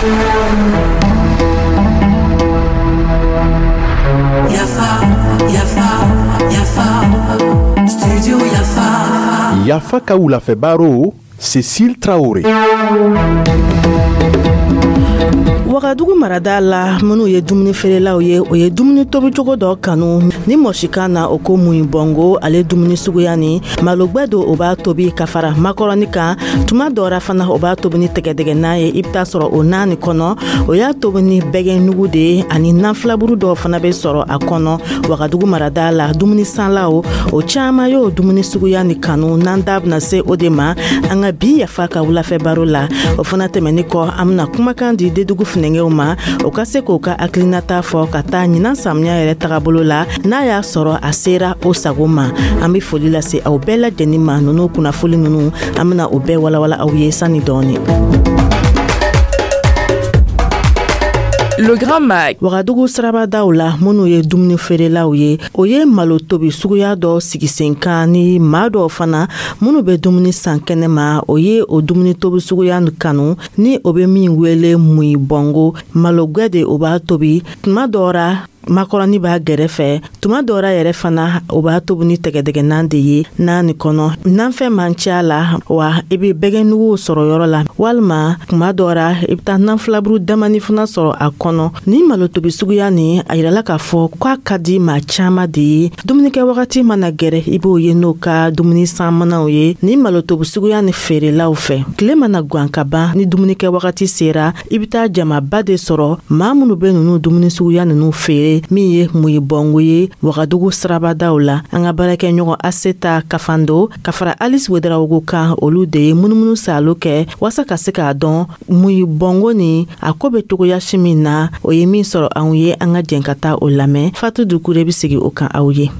Yafa, Yafa, Yafa, Studio Yafa. Yafa ka wulafɛ baro, Cécile Traoré. Wagadugu marada la, minnu ye dumuni feerelaw ye, o ye dumuni tobicogo dɔ kanu ni mɔsikan na, o ko muyibɔngo. Ale dumuni suguya ni malogwɛ don, o b'a tobi ka fara makɔrɔni kan. Tuma dɔra fana, o b'a tobi ni tɛgɛdɛgɛnan ye. I bɛ taa sɔrɔ o nan nin kɔnɔ, o y'a tobi ni bɛgɛnugu de ye, ani nan filaburu dɔw fana bɛ sɔrɔ a kɔnɔ. Wagadugu marada la, dumuni sanlaw o caman y'o dumuni suguya ni kanu. N'an da bɛna se o de ma an ka bi Yafa ka wulafɛ baro la. O fana tɛmɛni kɔ, an bɛna kumakan di Dedugu funɛngɛw ma, o ka se k'o ka hakilinata fɔ ka taa ɲinan samiya yɛrɛ tagabolo la, n'a y'a sɔrɔ a sera o sago ma. An be foli lase aw bɛɛ lajɛnin ma. Nunu kunnafoli nunu, an bena o bɛɛ walawala aw ye sani dɔɔni. Le Grand Mag. Wagadugu sirabadaw la, minnu ye dumuni feerelaw ye, o ye malo tobi suguya dɔ sigi sen kan, ni maa dɔw fana minnu bɛ dumuni san kɛnɛ ma, o ye o dumuni tobi suguya kanu, ni o bɛ min wele muyibɔngo. Malogwɛ de o b'a tobi. Tuma dɔ ra, makɔrɔni b'a gɛrɛfɛ. Tuma dɔ ra yɛrɛ fana, o b'a tobi ni tɛgɛdɛgɛnan de ye. N'a nin kɔnɔ nanfɛn man ca la wa, i bɛ bɛgɛnuguw sɔrɔ yɔrɔ la, walima kuma dɔ ra, i bɛ taa nanfilaburu damani fana sɔrɔ a kɔnɔ. Ni malo tobi suguya nin, a yirala k'a fɔ k'a ka di maa caman de ye. Dumunikɛ wagati mana gɛrɛ, i b'o ye n'o ka dumuni sanmanaw ye ni malo tobi suguya ni feerelaw fɛ. Tile mana gan ka ban, ni dumunikɛ wagati sera, i bɛ taa jamaba de sɔrɔ maa minnu bɛ ninnu dumuni suguya ninnu feere, min ye muyibɔngo ye Wagadugu sirabadaw la. An ka baarakɛɲɔgɔn Aseta Kafando ka fara Alice Wedarawogo kan, olu de ye munumunu salo kɛ waasa ka se k'a dɔn muyibɔngo ni a ko bɛ cogoya si min na. O ye min sɔrɔ anw ye, an ka jɛn ka taa o lamɛn. Fatu Dukure bɛ sigi o kan aw ye.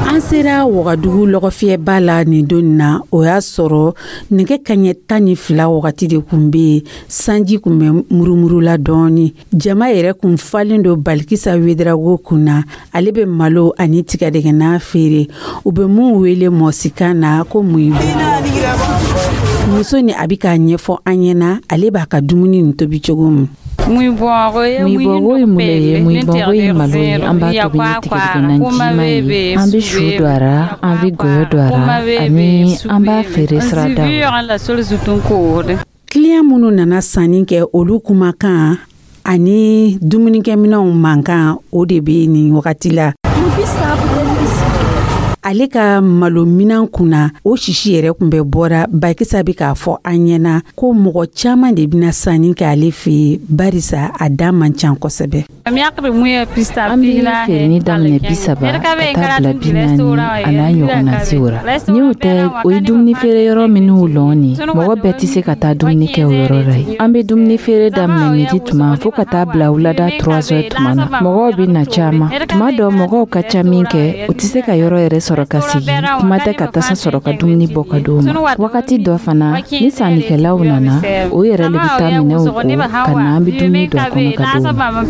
An sera Wagadugu lɔgɔfiyɛba la nin don na, o y'a sɔrɔ nɛgɛ kaɲɛ 12 wagati de kun bɛ yen. Sanji kun bɛ murumuru la dɔɔni. Jama yɛrɛ kun falen don Balikisa Wedarago kun na. Ale bɛ malo ani tigadɛgɛna feere, u bɛ mun wele mɔsikan na ko muyibu. Muso ni a bɛ k'a ɲɛfɔ an ɲɛna ale b'a ka dumuni nin tobi cogo min. Muyibɔngo ye mun ye? Muyibɔngo ye malo ye, an b'a tobi ni tigɛdɛgɛna jima ye. An bɛ su don a ra, an bɛ gɔyɔ don a ra, ani an b'a feere siradaw la. Kiliyan minnu nana sanni kɛ, olu kumakan ani dumunikɛminɛnw mankan, o de bɛ nin wagati la. Ale ka malo minan kunna, o sisi yɛrɛ kun bɛ bɔra. Bakisa bɛ k'a fɔ an ɲɛna ko mɔgɔ caman de bɛna sanni kɛ ale fɛ yen, barisa a da man ca kosɛbɛ. An bɛ feereni daminɛ 30 ka taa bila 40 a n'a ɲɔgɔnna sew ra. Ni o tɛ, o ye dumuni feere yɔrɔ minnu lɔn nin, mɔgɔ bɛɛ tɛ se ka taa dumuni kɛ o yɔrɔ la yen. An bɛ dumuni feere daminɛ midi tuma fo ka taa bila wulada 3 heures tuma na. Mɔgɔw bɛ na caman. Tuma dɔ, mɔgɔw ka ca min kɛ, u tɛ se ka yɔrɔ yɛrɛ sɔrɔ ka sigi, kuma tɛ ka tasa sɔrɔ ka dumuni bɔ ka d'u ma. Wagati dɔ fana, ni sannikɛlaw nana, o yɛrɛ le bɛ taa minɛnw ko ka na, an bɛ dumuni don a kɔnɔ ka d'u ma.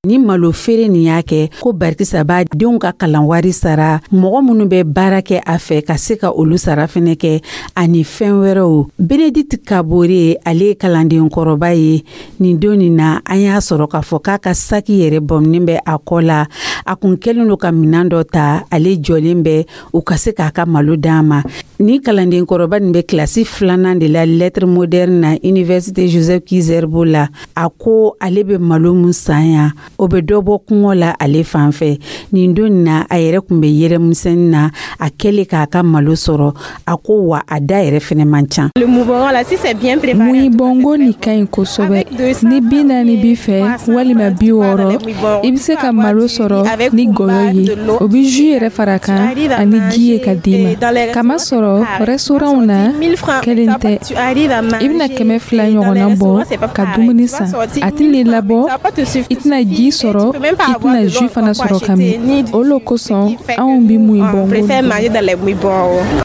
Ni malo feere nin y'a kɛ ko Barikisa b'a denw ka kalan wari sara, mɔgɔ minnu bɛ baara kɛ a fɛ ka se ka olu sara fɛnɛ kɛ, ani fɛn wɛrɛw. Benedicte Kabore, ale ye kalanden kɔrɔba ye. Nin don nin na, an y'a sɔrɔ k'a fɔ k'a ka saki yɛrɛ bɔminen bɛ a kɔ la. A kun kɛlen don ka minan dɔ ta, ale jɔlen bɛ u ka se k'a ka malo d'a ma. Ni kalanden kɔrɔba nin bɛ kilasi filanan de la lettre moderne na Université Joseph Ki-Zerbo la. A ko ale bɛ malo mun san yan, o bɛ dɔ bɔ kɔngɔ la ale fan fɛ. Nin don na, a yɛrɛ kun bɛ yɛrɛmisɛnnin na a kɛlen k'a ka malo sɔrɔ. A ko wa a da yɛrɛ fɛnɛ man ca. Muyibɔngo nin ka ɲi kosɛbɛ. Ni 40 b'i fɛ walima 60, i bɛ se ka malo sɔrɔ ni gɔyɔ ye. O bɛ jus yɛrɛ fara kan ani ji ye ka d'i ma. Kamasɔrɔ restaurantw na, kelen tɛ. I bɛna 200 ɲɔgɔnna bɔ ka dumuni san, a tɛna labɔ, i tɛna ji sɔrɔ, i tɛna jus fana sɔrɔ ka min. O lo kosɔn anw bɛ muyibɔngo.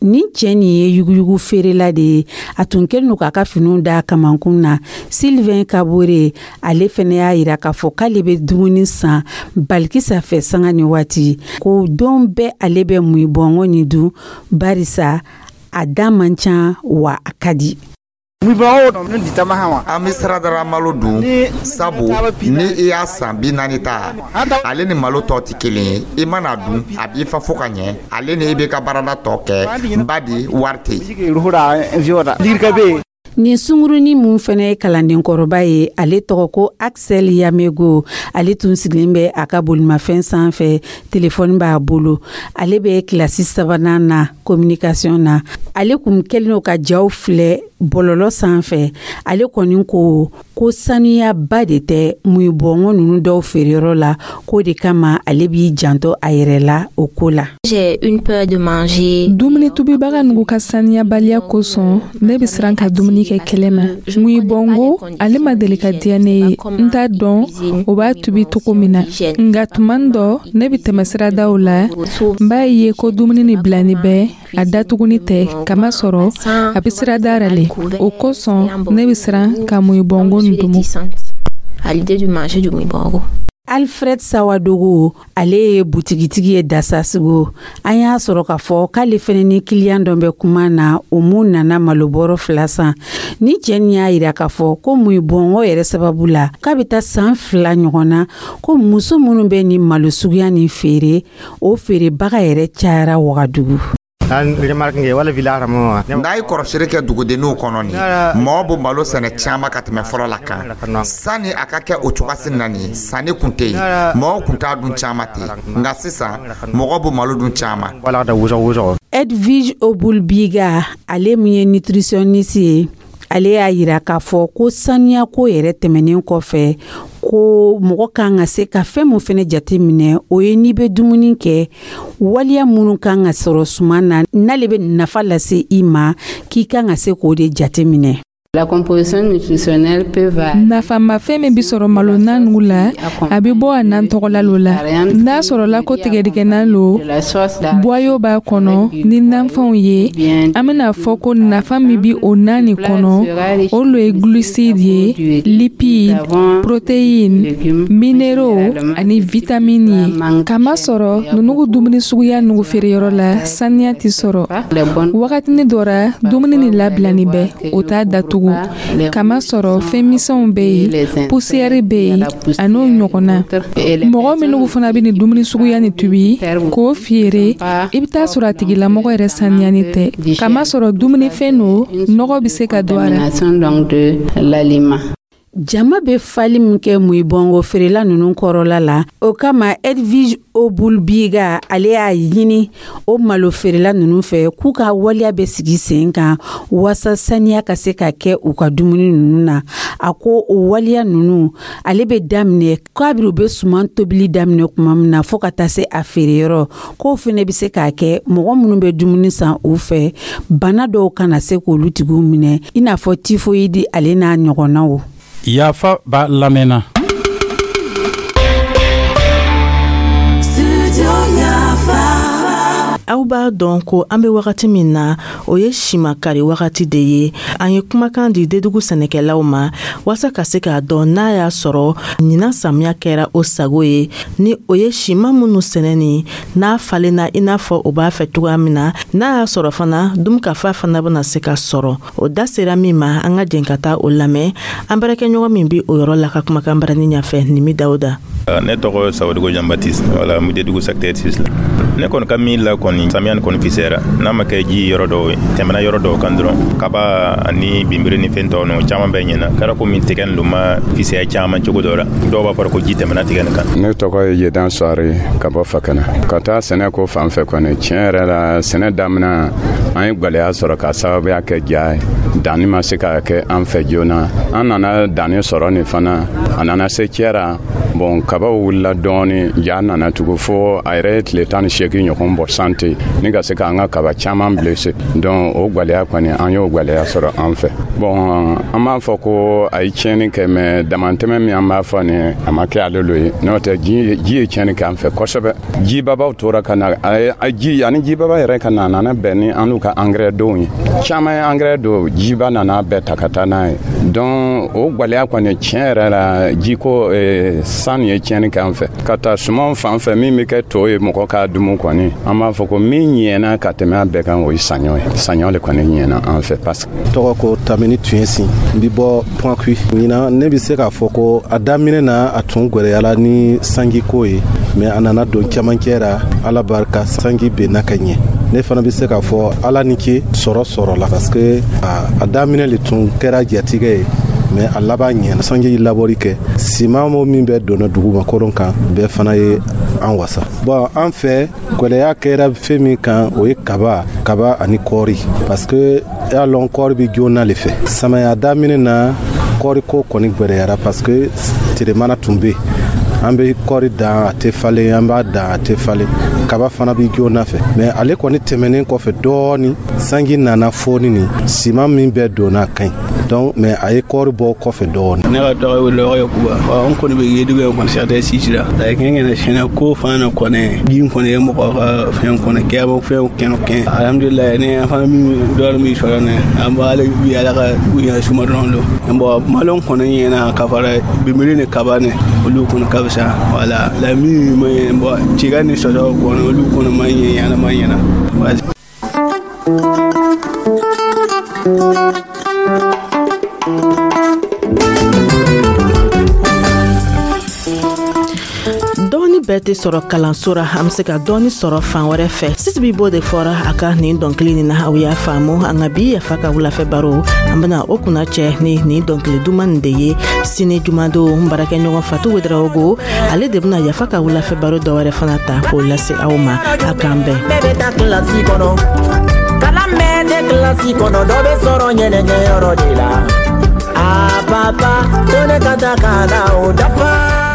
Nin cɛ nin ye yuguyugu feerela de ye. A tun kɛlen don k'a ka finiw da kamankun na. Sylvain Kabore, ale fɛnɛ y'a yira k'a fɔ k'ale bɛ dumuni san Balikisa fɛ sanga ni waati, ko don bɛɛ ale bɛ muyibɔngo nin dun, barisa a da man ca wa a ka di. An bɛ siradara malo dun, sabu ni i y'a san 40 ta, ale ni malo tɔ tɛ kelen ye. I mana dun, a b'i fa fo ka ɲɛ. Ale ni i b'i ka baarada tɔ kɛ, badi wari tɛ yen. Nin sungurunin mun fana ye kalandenkɔrɔba ye, ale tɔgɔ ko Axel Yamego. Ale tun sigilen bɛ a ka bolimafɛn sanfɛ, telefɔni b'a bolo. Ale bɛ kilasi sabanan na communication na. Ale kun kɛlen don ka jaw filɛ bɔlɔlɔ sanfɛ. Ale kɔni ko ko sanuyaba de tɛ muyibɔngɔ ninnu dɔw feereyɔrɔ la, k'o de kama ale b'i janto a yɛrɛ la o ko la. Dumuni tubibaga nugu ka saniyabaliya kosɔn, ne bɛ siran ka dumuni kɛ kɛlɛ ma. Muyibɔngo, ale ma deli ka diya ne ye. N t'a dɔn o b'a tubi cogo min na, nka tuma dɔ ne bɛ tɛmɛ siradaw la, n b'a ye ko dumuni ni bilani bɛ a datuguni tɛ, kamasɔrɔ a bɛ sirada ra le. O kosɔn ne bɛ siran ka muyibɔngo nin dumu. Alfred Sawadogo, ale ye butigitigi ye Dasasigo. An y'a sɔrɔ k'a fɔ k'ale fɛnɛ ni kiliyan dɔ bɛ kuma na, o mun nana malobɔrɔ 2 san. Ni cɛ nin y'a yira k'a fɔ ko muyibɔngɔ yɛrɛ sababu la, k'a bɛ taa san 2 ɲɔgɔn na, ko muso minnu bɛ nin malo suguya nin feere, o feerebaga yɛrɛ cayara Wagadugu. N'a ye kɔrɔsiri kɛ dugudenninw kɔnɔ nin, mɔgɔ bɛ malo sɛnɛ caman ka tɛmɛ fɔlɔ la kan. Sani a ka kɛ o cogoyasi na nin, sanni kun tɛ yen, mɔgɔw kun t'a dun caman ten, nka sisan mɔgɔ bɛ malo dun caman. Edwige Obulbiga, ale min ye nutritionniste ye, ale y'a yira k'a fɔ ko saniya ko yɛrɛ tɛmɛnen kɔfɛ, ko mɔgɔ kan ka se ka fɛn mun fɛnɛ jate minɛ, o ye n'i bɛ dumuni kɛ, waliya minnu kan ka sɔrɔ suman na n'ale bɛ nafa lase i ma, k'i kan ka se k'o de jate minɛ. La composition nutritionnelle peut varier. Nafamafɛn min bɛ sɔrɔ malo na nugu la, a bɛ bɔ a nan tɔgɔla lo la. N'a sɔrɔla ko tigɛdigɛna lo, boyau b'a kɔnɔ ni nanfɛnw ye, an bɛna fɔ ko nafa min bɛ o na nin kɔnɔ, o lo ye glucide ye, lipide, protéine, minéraux ani vitamine ye. Kamasɔrɔ nunugu dumuni suguya nugu feereyɔrɔ la, saniya tɛ sɔrɔ. Wagatini dɔ ra, dumuni ni labilani bɛ, o t'a datugu, kamasɔrɔ fɛn misɛnw bɛ yen, poussière bɛ yen, a n'o ɲɔgɔnna. Mɔgɔ minnu fana bɛ nin dumuni suguya nin tubi k'o feere, i bɛ taa sɔrɔ a tigilamɔgɔ yɛrɛ saniyani tɛ, kamasɔrɔ dumunifɛn don, nɔgɔ bɛ se ka don a la. Jama bɛ fali min kɛ muyibɔngo feerela ninnu kɔrɔla la, o kama Edwige Obulbiga, ale y'a ɲini o malo feerela ninnu fɛ k'u ka waleya bɛ sigi sen kan waasa saniya ka se ka kɛ u ka dumuni ninnu na. A ko o waleya ninnu, ale bɛ daminɛ kabiri u bɛ suman tobili daminɛ tuma min na fo ka taa se a feereyɔrɔ, k'o fana bɛ se k'a kɛ mɔgɔ minnu bɛ dumuni san u fɛ, bana dɔw kana se k'olu tigiw minɛ, i n'a fɔ tifoyidi, ale n'a ɲɔgɔnnaw. Yafa b'a lamɛnna. Aw b'a dɔn ko an bɛ wagati min na, o ye simakari wagati de ye. An ye kumakan di Dedugu sɛnɛkɛlaw ma waasa ka se k'a dɔn n'a y'a sɔrɔ ɲinan samiya kɛra o sago ye, ni o ye siman minnu sɛnɛni n'a falenna i n'a fɔ o b'a fɛ cogoya min na, n'a y'a sɔrɔ fana dunkafa fana bɛna se ka sɔrɔ. O da sera min ma, an ka jɛn ka taa o lamɛn an baarakɛɲɔgɔn min bɛ o yɔrɔ la ka kumakan barani ɲɛfɛ, Nimi Dawuda. Ne tɔgɔ Sawadogo Jean Baptiste, wala n bɛ Dedugu secteur 6 la. Ne kɔni ka min la kɔni, samiya nin kɔni fisayara, n'a ma kɛ ji yɔrɔ dɔw ye, tɛmɛna yɔrɔ dɔw kan dɔrɔn, kaba ani binbiri ni fɛn tɔw ninnu caman bɛɛ ɲɛna. Kɛra komi tigɛ nin ma fisaya caman cogo dɔ la, dɔw b'a fɔ ko ji tɛmɛna tigɛ nin kan. Ne tɔgɔ ye Yedan Suware ka bɔ Fakana. Ka taa sɛnɛ ko fan fɛ kɔni, tiɲɛ yɛrɛ la, sɛnɛ daminɛ an ye gwɛlɛya sɔrɔ ka sababuya kɛ ja ye. Danni ma se ka kɛ an fɛ joona. An nana danni sɔrɔ nin fana, a nana se cɛra. Bon, kabaw wulila dɔɔni, ja nana tugu fo a yɛrɛ ye tile 18 ɲɔgɔn bɔ sante ni ka se k'an ka kaba caman blessé. Donc o gwɛlɛya kɔni, an y'o gwɛlɛya sɔrɔ an fɛ. Bon, an b'a fɔ ko a ye tiɲɛni kɛ, mais damantɛmɛ min an b'a fɔ nin, a ma kɛ ale lo ye. N'o tɛ, ji ye tiɲɛni kɛ an fɛ kosɛbɛ. Jibabaw tora ka na, ji ani jibaba yɛrɛ ka na, a nana bɛn ni an n'u ka ka angɛrɛ donw ye. Caman ye angɛrɛ don, jiba nana bɛɛ ta ka taa n'a ye. Donc o gwɛlɛya kɔni, tiɲɛ yɛrɛ la, jiko, san ye tiɲɛni kɛ an fɛ. Ka taa sumanw fan fɛ, min bɛ kɛ to ye mɔgɔ k'a dumu kɔni, an b'a fɔ ko min ɲɛna ka tɛmɛ a bɛɛ kan, o ye saɲɔ ye. Saɲɔ le kɔni ɲɛna an fɛ parce que Tɔgɔ ko Tamini Tuɲɛsin, n bi bɔ Point. Ɲinan, ne bɛ se k'a fɔ ko a daminɛ na, a tun gwɛlɛyala ni sanjiko ye, mais a nana don camancɛ ra, Ala barika, sanji benna ka ɲɛ. Ne fana bɛ se k'a fɔ Ala ni ce, sɔrɔ sɔrɔla, parce que a daminɛ le tun kɛra jatigɛ ye, mais a laban ɲɛna. Sanji labɔri kɛ, siman mo min bɛ donna duguma koron kan, bɛɛ fana ye an wasa. Bon, an fɛ, gwɛlɛya kɛra fɛn min kan, o ye kaba ani kɔɔri, parce que y'a lɔn kɔɔri bɛ joona le fɛ. Samaya daminɛ na, kɔɔri ko kɔni gwɛlɛyara, parce que telemana tun bɛ yen. An bɛ kɔɔri dan, a tɛ falen, an b'a dan, a tɛ falen. Kaba fana bɛ joona fɛ, mais ale kɔni tɛmɛnen kɔfɛ dɔɔni, sanji nana foni ni siman min bɛɛ donna, a ka ɲi. Donc, mais a ye kɔɔri bɔ kɔfɛ dɔɔni. Ne ka tɔgɔ ye Lɔgɔ Yakuba. An kɔni bɛ Yedugu ye kɔni, secteur 6 la. A kɛ kɛnɛ sɛnɛ ko fana kɔni, ji kɔni ye mɔgɔ ka fɛn kɔni kɛ, fɛn kɛnɛ kɛ. Alhamdulilayi, ne an fana min dɔɔni min sɔrɔ ne, an b'ale bi Ala ka ɲɛ suma dɔrɔn don. Bon, malo kɔni ɲɛna ka fara binbiri ni kaba ni olu kɔni ka fisa. Wala la min ma ɲɛ, bon, tiga ni sɔsɔ kɔni, olu kɔni ma ɲɛ, ɲɛna ma ɲɛna. Dɔɔni bɛɛ tɛ sɔrɔ kalanso ra, an be se ka dɔɔni sɔrɔ fan wɛrɛ fɛ. Sisibi b'o de fɔra a ka nin dɔnkili nin na. Aw y'a faamu, an ka bi Yafa ka wulafɛ baro, an bena o kunna cɛ ni nin dɔnkili duman nin de ye. Sini jumadon, n baarakɛɲɔgɔn Fatu Wedarawogo, ale de bena Yafa ka wulafɛ baro dɔ wɛrɛ fana ta k'o lase aw ma. A k'an bɛn. Bɛɛ bɛ taa kilasi kɔnɔ, kalan bɛɛ tɛ kilasi kɔnɔ, dɔ bɛ sɔrɔ ɲɛnɛkɛyɔrɔ de la. A papa, ko ne ka taa kalan o dafa.